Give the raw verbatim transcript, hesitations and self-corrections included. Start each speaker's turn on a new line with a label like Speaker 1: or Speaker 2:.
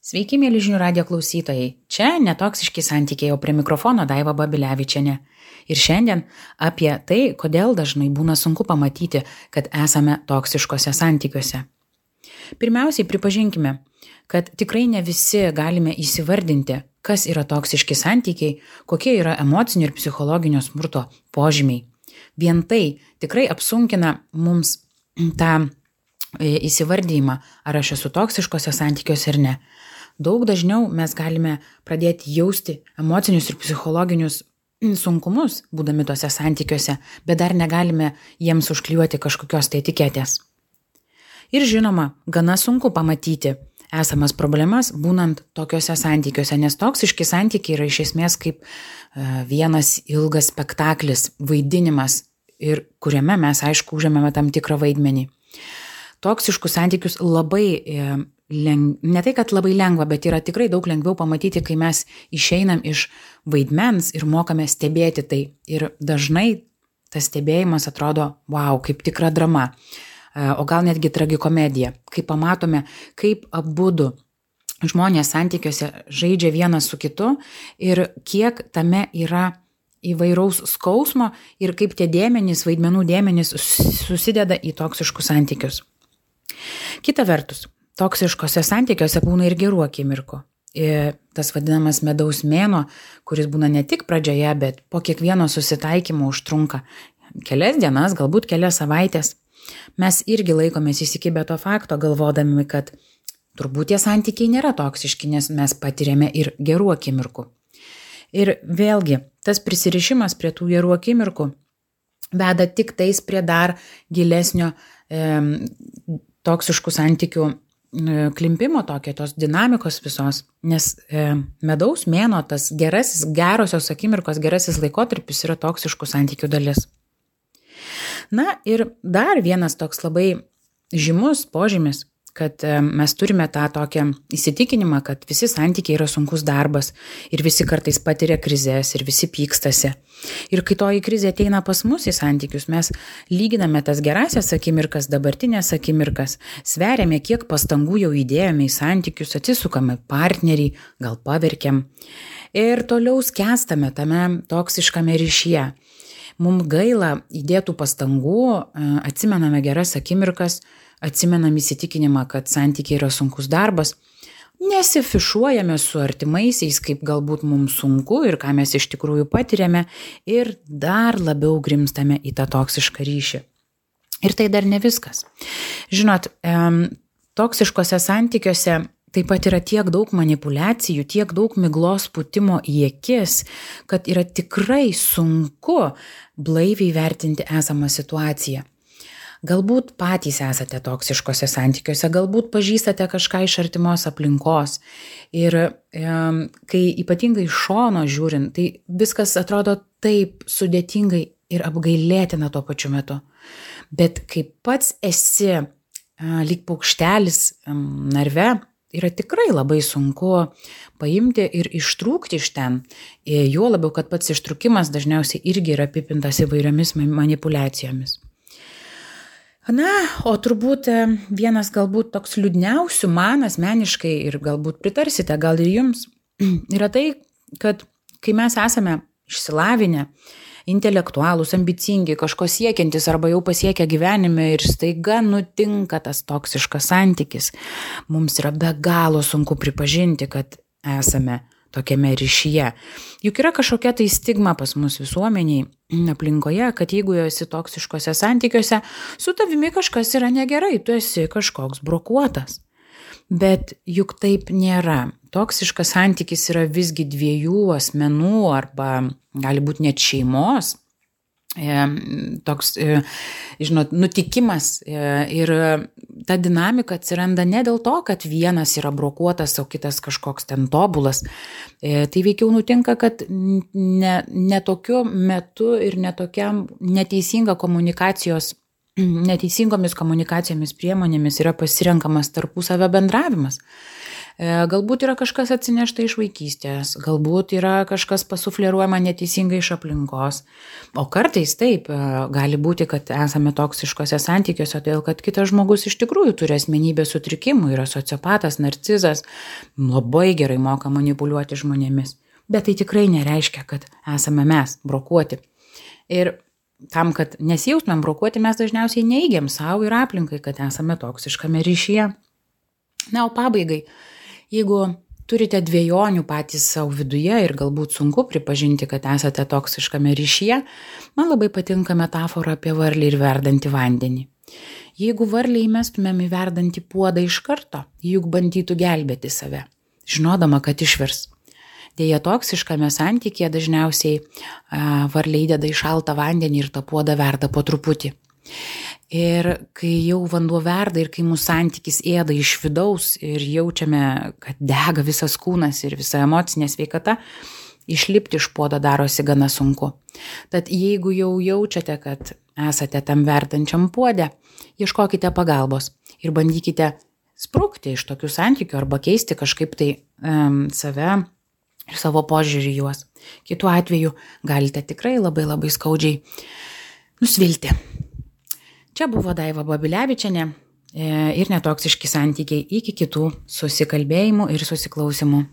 Speaker 1: Sveiki, mėly žinių radijo klausytojai. Čia netoksiški santykiai, o prie mikrofono Daiva Babilevičienė. Ir šiandien apie tai, kodėl dažnai būna sunku pamatyti, kad esame toksiškose santykiuose. Pirmiausiai pripažinkime, kad tikrai ne visi galime įsivardinti, kas yra toksiški santykiai, kokie yra emocinio ir psichologinio smurto požymiai. Vien tai tikrai apsunkina mums tą įsivardymą, ar aš esu toksiškose santykiuose ar ne. Daug dažniau mes galime pradėti jausti emocinius ir psichologinius sunkumus, būdami tose santykiuose, bet dar negalime jiems užklijuoti kažkokios tai etiketės. Ir žinoma, gana sunku pamatyti esamas problemas būnant tokiuose santykiuose, nes toksiški santykiai yra iš esmės kaip vienas ilgas spektaklis, vaidinimas, ir kuriame mes, aišku, užėmėme tam tikrą vaidmenį. Toksiškus santykius labai, leng... ne tai, kad labai lengva, bet yra tikrai daug lengviau pamatyti, kai mes išeinam iš vaidmens ir mokame stebėti tai. Ir dažnai tas stebėjimas atrodo, wow, kaip tikra drama, o gal netgi tragikomedija, kai pamatome, kaip abudu žmonės santykiuose žaidžia vienas su kitu ir kiek tame yra įvairaus skausmo ir kaip tie dėmenys, vaidmenų dėmenys susideda į toksiškus santykius. Kita vertus, toksiškose santykiuose būna ir gerų akimirkų. Ir tas vadinamas medaus mėnuo, kuris būna ne tik pradžioje, bet po kiekvieno susitaikymo užtrunka kelias dienas, galbūt kelias savaitės. Mes irgi laikomės įsikibę to fakto, galvodami, kad turbūt tie santykiai nėra toksiški, nes mes patiriame ir gerų akimirkų. Ir vėlgi, tas prisirišimas prie tų gerų akimirkų veda tik tais prie dar gilesnio e, toksiškų santykių e, klimpimo, tokio, tos dinamikos visos, nes e, medaus mėnuo, tas gerasis, gerosios akimirkos, gerasis laikotarpis yra toksiškų santykių dalis. Na ir dar vienas toks labai žymus požymis, kad mes turime tą tokią įsitikinimą, kad visi santykiai yra sunkus darbas ir visi kartais patiria krizės ir visi pykstasi. Ir kai toji krizė ateina pas mus į santykius, mes lyginame tas gerasias akimirkas, dabartinės akimirkas, sveriame, kiek pastangų jau įdėjome į santykius, atsisukame partnerį, gal paverkiam ir toliau skęstame tame toksiškame ryšyje. Mums gaila įdėtų pastangų, atsimename geras akimirkas, atsimenam įsitikinimą, kad santykiai yra sunkus darbas, nesifišuojame su artimaisiais, kaip galbūt mums sunku ir ką mes iš tikrųjų patiriame ir dar labiau grimstame į tą toksišką ryšį. Ir tai dar ne viskas. Žinot, toksiškose santykiuose taip pat yra tiek daug manipuliacijų, tiek daug miglos pūtimo į akis, kad yra tikrai sunku blaiviai vertinti esamą situaciją. Galbūt patys esate toksiškose santykiuose, galbūt pažįstate kažką iš artimos aplinkos. Ir e, kai ypatingai iš šono žiūrint, tai viskas atrodo taip sudėtingai ir apgailėtina tuo pačiu metu. Bet kai pats esi e, lyg paukštelis e, narve, yra tikrai labai sunku paimti ir ištrūkti iš ten. E, juo labiau, kad pats ištrūkimas dažniausiai irgi yra apipintas įvairiomis manipuliacijomis. Na, o turbūt vienas galbūt toks liūdniausių man asmeniškai ir galbūt pritarsite, gal ir jums, yra tai, kad kai mes esame išsilavinę, intelektualūs, ambicingi, kažko siekiantis arba jau pasiekę gyvenime ir staiga nutinka tas toksiškas santykis, mums yra be galo sunku pripažinti, kad esame tokiame ryšyje. Juk yra kažkokia tai stigma pas mus visuomeniai, aplinkoje, kad jeigu esi toksiškose santykiuose, su tavimi kažkas yra negerai, tu esi kažkoks brokuotas. Bet juk taip nėra. Toksiškas santykis yra visgi dviejų asmenų arba gali būti net šeimos. Toks, žinot, nutikimas ir ta dinamika atsiranda ne dėl to, kad vienas yra brokuotas, o kitas kažkoks ten tobulas. Tai veikiau nutinka, kad ne, ne tokiu metu ir ne tokiam neteisinga komunikacijos, neteisingomis komunikacijomis priemonėmis yra pasirenkamas tarpusavio bendravimas. Galbūt yra kažkas atsinešta iš vaikystės, galbūt yra kažkas pasufleruojama neteisingai iš aplinkos. O kartais taip, gali būti, kad esame toksiškose santykiuose, todėl kad kitas žmogus iš tikrųjų turi asmenybės sutrikimų, yra sociopatas, narcizas, labai gerai moka manipuliuoti žmonėmis. Bet tai tikrai nereiškia, kad esame mes brokuoti. Ir tam, kad nesijaustumėm brokuoti, mes dažniausiai neigiam savo ir aplinkai, kad esame toksiškame ryšyje. Na, o pabaigai, jeigu turite dviejonių patys savo viduje ir galbūt sunku pripažinti, kad esate toksiškame ryšyje, man labai patinka metafora apie varlį ir verdantį vandenį. Jeigu varlį įmestumėm į verdantį puodą iš karto, juk bandytų gelbėti save, žinodama, kad išvirs. Deja, toksiškame santykėje dažniausiai a, varlė įdeda į šaltą vandenį ir tą puodą verda po truputį. Ir kai jau vanduo verda ir kai mūsų santykis ėda iš vidaus ir jaučiame, kad dega visas kūnas ir visa emocinė sveikata, išlipti iš puodo darosi gana sunku. Tad jeigu jau jaučiate, kad esate tam verdančiam puode, ieškokite pagalbos ir bandykite sprukti iš tokių santykių arba keisti kažkaip tai um, save ir savo požiūrį juos. Kitu atveju galite tikrai labai labai skaudžiai nusvilti. Čia buvo Daiva Babilevičienė ir netoksiški santykiai. Iki kitų susikalbėjimų ir susiklausimų.